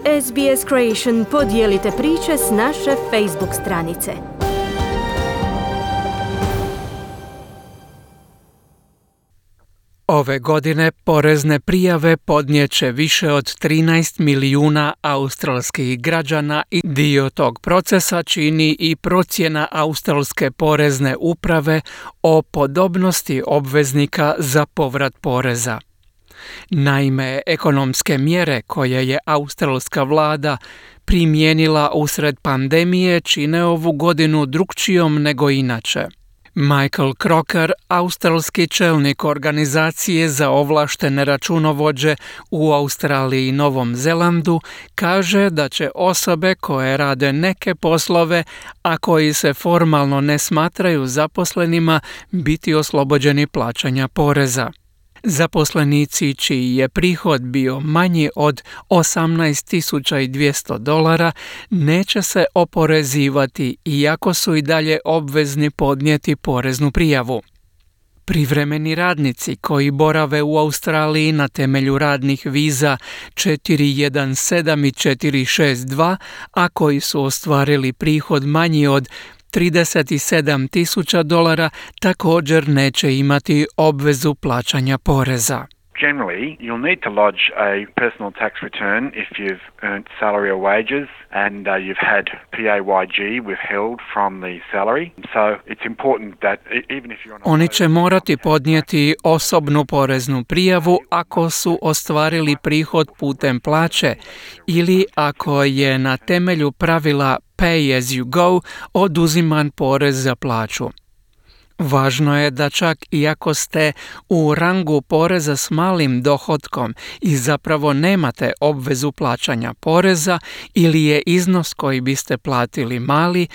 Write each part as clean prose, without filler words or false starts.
SBS Creation podijelite priče s naše Facebook stranice. Ove godine porezne prijave podnijeće više od 13 milijuna australskih građana i dio tog procesa čini i procjena australske porezne uprave o podobnosti obveznika za povrat poreza. Naime, ekonomske mjere koje je australska vlada primijenila usred pandemije čine ovu godinu drukčijom nego inače. Michael Crocker, australski čelnik organizacije za ovlaštene računovođe u Australiji i Novom Zelandu, kaže da će osobe koje rade neke poslove, a koji se formalno ne smatraju zaposlenima, biti oslobođeni plaćanja poreza. Zaposlenici čiji je prihod bio manji od $18,200 neće se oporezivati iako su i dalje obvezni podnijeti poreznu prijavu. Privremeni radnici koji borave u Australiji na temelju radnih viza 417 i 462, a koji su ostvarili prihod manji od $37,000 također neće imati obvezu plaćanja poreza. Generally, you'll need to lodge a personal tax return if you've earned salary or wages and you've had PAYG withheld from the salary. So it's important that even if you're on Oni će morati podnijeti osobnu poreznu prijavu ako su ostvarili prihod putem plaće ili ako je na temelju pravila Pay as you go oduziman porez za plaću. Važno je da čak i ako ste u rangu poreza s malim dohotkom i zapravo nemate obvezu plaćanja poreza ili je iznos koji biste platili mali,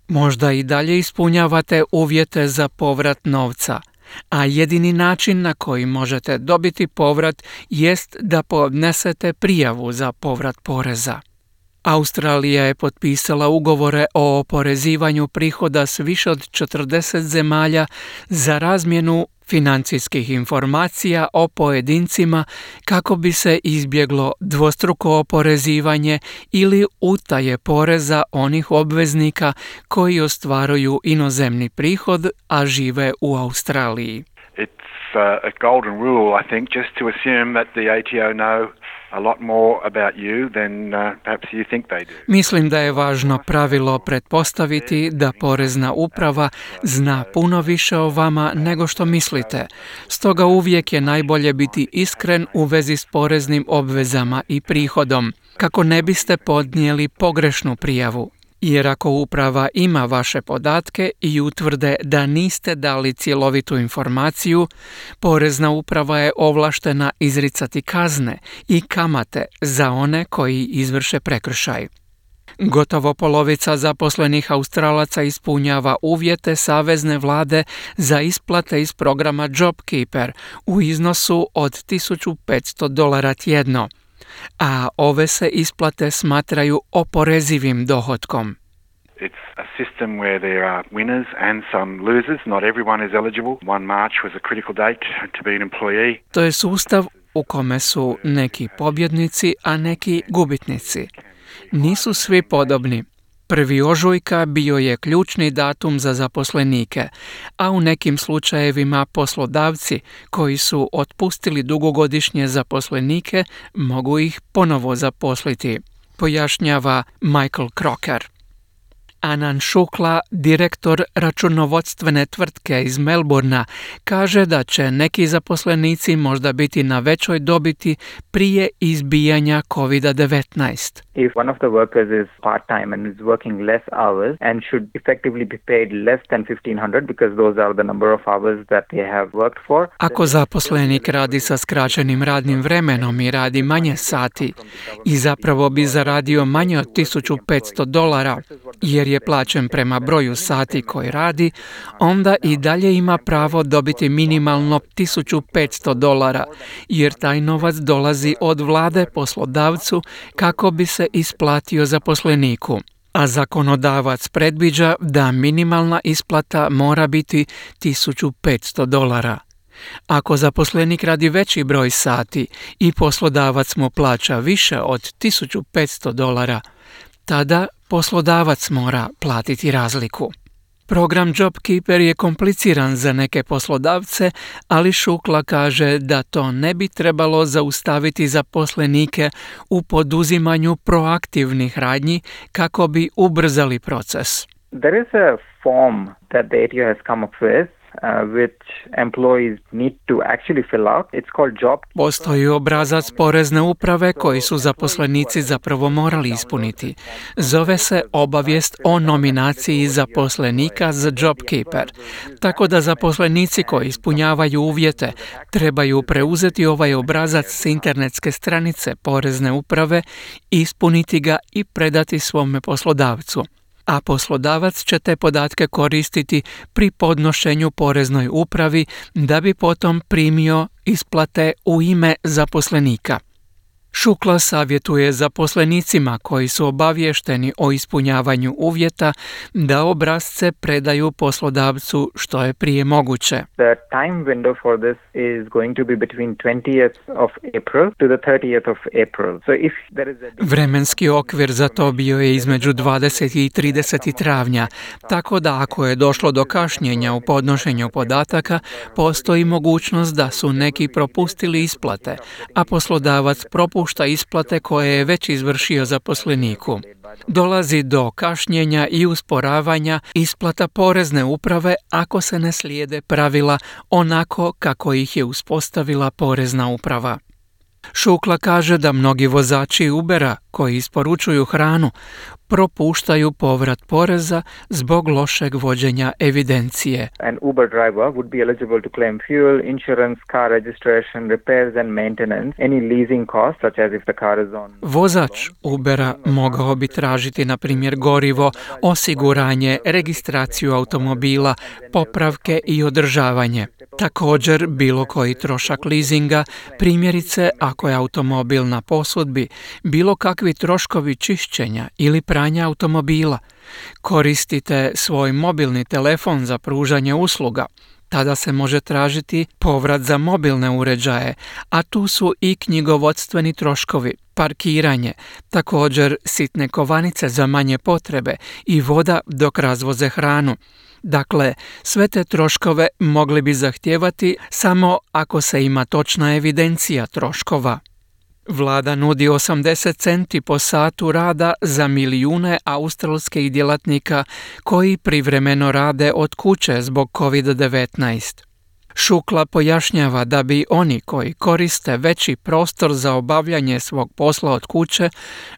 možda i dalje ispunjavate uvjete za povrat novca. A jedini način na koji možete dobiti povrat jest da podnesete prijavu za povrat poreza. Australija je potpisala ugovore o oporezivanju prihoda s više od 40 zemalja za razmjenu financijskih informacija o pojedincima kako bi se izbjeglo dvostruko oporezivanje ili utaje poreza onih obveznika koji ostvaruju inozemni prihod, a žive u Australiji. It's a golden rule, I think, just to assume that the ATO know a lot more about you than perhaps you think they do. Mislim da je važno pravilo pretpostaviti da porezna uprava zna puno više o vama nego što mislite. Stoga uvijek je najbolje biti iskren u vezi s poreznim obvezama i prihodom, kako ne biste podnijeli pogrešnu prijavu. Jer ako uprava ima vaše podatke i utvrde da niste dali cjelovitu informaciju, porezna uprava je ovlaštena izricati kazne i kamate za one koji izvrše prekršaj. Gotovo polovica zaposlenih Australaca ispunjava uvjete savezne vlade za isplate iz programa JobKeeper u iznosu od $1,500 tjedno, a ove se isplate smatraju oporezivim dohotkom. It's a system where there are winners and some losers. Not everyone is eligible. 1 March was a critical date to be an employee. To je sustav u kome su neki pobjednici, a neki gubitnici. Nisu svi podobni. 1. ožujka bio je ključni datum za zaposlenike, a u nekim slučajevima poslodavci koji su otpustili dugogodišnje zaposlenike mogu ih ponovo zaposliti, pojašnjava Michael Crocker. Anand Shukla, direktor računovodstvene tvrtke iz Melbournea, kaže da će neki zaposlenici možda biti na većoj dobiti prije izbijanja COVID-19. If one of the workers is part-time and is working less hours and should effectively be paid less than $1,500 because those are the number of hours that they have worked for. Ako zaposlenik radi sa skraćenim radnim vremenom i radi manje sati i zapravo bi zaradio manje od $1,500 jer je plaćen prema broju sati koji radi, onda i dalje ima pravo dobiti minimalno $1,500 jer taj novac dolazi od vlade poslodavcu kako bi se isplatio zaposleniku. A zakonodavac predviđa da minimalna isplata mora biti $1,500. Ako zaposlenik radi veći broj sati i poslodavac mu plaća više od $1.500, tada poslodavac mora platiti razliku. Program JobKeeper je kompliciran za neke poslodavce, ali Šukla kaže da to ne bi trebalo zaustaviti zaposlenike u poduzimanju proaktivnih radnji kako bi ubrzali proces. There is a form that the ATO has come up with, which employees need to actually fill out. It's called JobKeeper. Postoji obrazac porezne uprave koji su zaposlenici zapravo morali ispuniti. Zove se obavijest o nominaciji zaposlenika za JobKeeper. Tako da zaposlenici koji ispunjavaju uvjete trebaju preuzeti ovaj obrazac s internetske stranice porezne uprave, ispuniti ga i predati svome poslodavcu. A poslodavac će te podatke koristiti pri podnošenju poreznoj upravi da bi potom primio isplate u ime zaposlenika. Šukla savjetuje zaposlenicima koji su obavješteni o ispunjavanju uvjeta da obrasce predaju poslodavcu što je prije moguće. The time window for this is going to be between 20th of April to the 30th of April. So if there is Vremenski okvir za to bio je između 20. i 30. travnja, tako da ako je došlo do kašnjenja u podnošenju podataka, postoji mogućnost da su neki propustili isplate, a poslodavac propušta isplate koje je već izvršio zaposleniku. Dolazi do kašnjenja i usporavanja isplata porezne uprave ako se ne slijede pravila onako kako ih je uspostavila porezna uprava. Šukla kaže da mnogi vozači Ubera koji isporučuju hranu propuštaju povrat poreza zbog lošeg vođenja evidencije. an Uber driver would be eligible to claim fuel, insurance, car registration, repairs and maintenance, any leasing costs such as if the car is on. Vozač Ubera mogao bi tražiti, na primjer, gorivo, osiguranje, registraciju automobila, popravke i održavanje. Također, bilo koji trošak leasinga, primjerice ako je automobil na posudbi, bilo kakvi troškovi čišćenja ili pranja automobila. Koristite svoj mobilni telefon za pružanje usluga. Tada se može tražiti povrat za mobilne uređaje, a tu su i knjigovodstveni troškovi, parkiranje, također sitne kovanice za manje potrebe i voda dok razvoze hranu. Dakle, sve te troškove mogli bi zahtijevati samo ako se ima točna evidencija troškova. Vlada nudi 80 centi po satu rada za milijune australskih djelatnika koji privremeno rade od kuće zbog COVID-19. Šukla pojašnjava da bi oni koji koriste veći prostor za obavljanje svog posla od kuće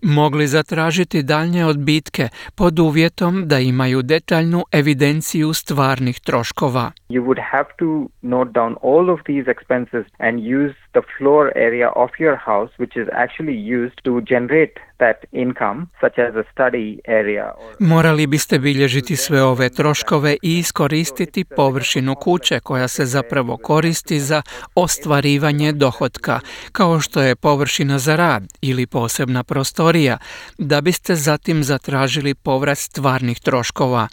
mogli zatražiti daljnje odbitke pod uvjetom da imaju detaljnu evidenciju stvarnih troškova. You would have to note down all of these expenses and use the floor area of your house, which is actually used to generate that income, such as a study area. Morali biste bilježiti sve ove troškove i iskoristiti površinu kuće koja se zapravo koristi za ostvarivanje dohotka, kao što je površina za rad ili posebna prostorija, da biste zatim zatražili povrat stvarnih troškova.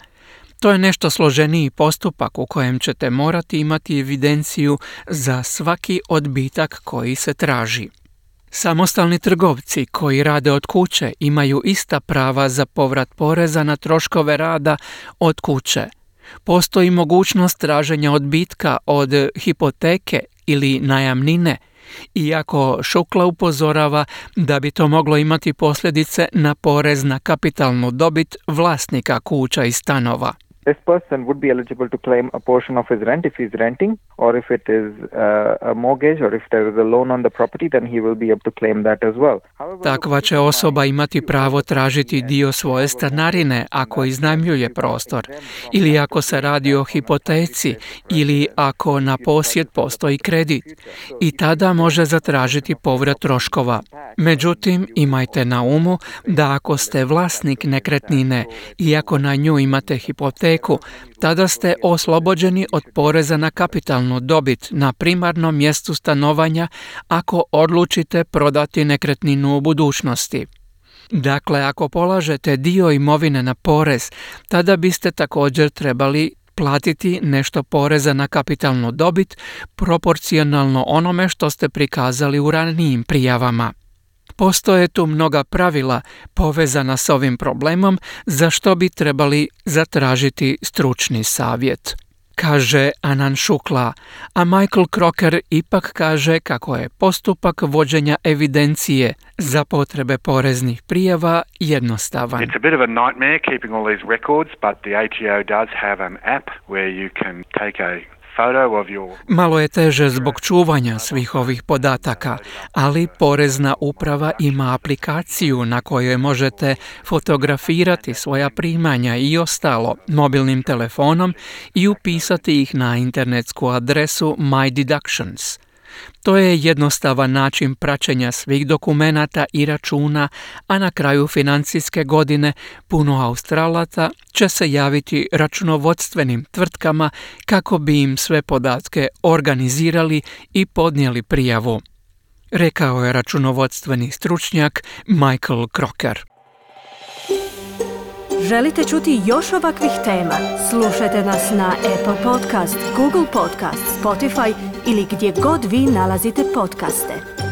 To je nešto složeniji postupak u kojem ćete morati imati evidenciju za svaki odbitak koji se traži. Samostalni trgovci koji rade od kuće imaju ista prava za povrat poreza na troškove rada od kuće. Postoji mogućnost traženja odbitka od hipoteke ili najamnine, iako Šukla upozorava da bi to moglo imati posljedice na porez na kapitalnu dobit vlasnika kuća i stanova. This person would be eligible to claim a portion of his rent if he's renting, or if it is a mortgage, or if there is a loan on the property, then he will be able to claim that as well. Takva će osoba imati pravo tražiti dio svoje stanarine ako iznajmljuje prostor, ili ako se radi o hipoteci, ili ako na posjed postoji kredit, i tada može zatražiti povrat troškova. Međutim, imajte na umu da ako ste vlasnik nekretnine i ako na nju imate hipoteku, tada ste oslobođeni od poreza na kapitalnu dobit na primarnom mjestu stanovanja ako odlučite prodati nekretninu u budućnosti. Dakle, ako polažete dio imovine na porez, tada biste također trebali platiti nešto poreza na kapitalnu dobit proporcionalno onome što ste prikazali u ranijim prijavama. Postoje tu mnoga pravila povezana s ovim problemom za što bi trebali zatražiti stručni savjet, kaže Anand Shukla, a Michael Crocker ipak kaže kako je postupak vođenja evidencije za potrebe poreznih prijava jednostavan. It's a bit of a nightmare keeping all these records, but the ATO does have an app where you can take a photo of your... Malo je teže zbog čuvanja svih ovih podataka, ali Porezna uprava ima aplikaciju na kojoj možete fotografirati svoja primanja i ostalo mobilnim telefonom i upisati ih na internetsku adresu My Deductions. To je jednostavan način praćenja svih dokumenata i računa, a na kraju financijske godine puno Australaca će se javiti računovodstvenim tvrtkama kako bi im sve podatke organizirali i podnijeli prijavu, rekao je računovodstveni stručnjak Michael Crocker. Želite čuti još ovakvih tema? Slušajte nas na Apple Podcast, Google Podcast, Spotify ili gdje god vi nalazite podcaste.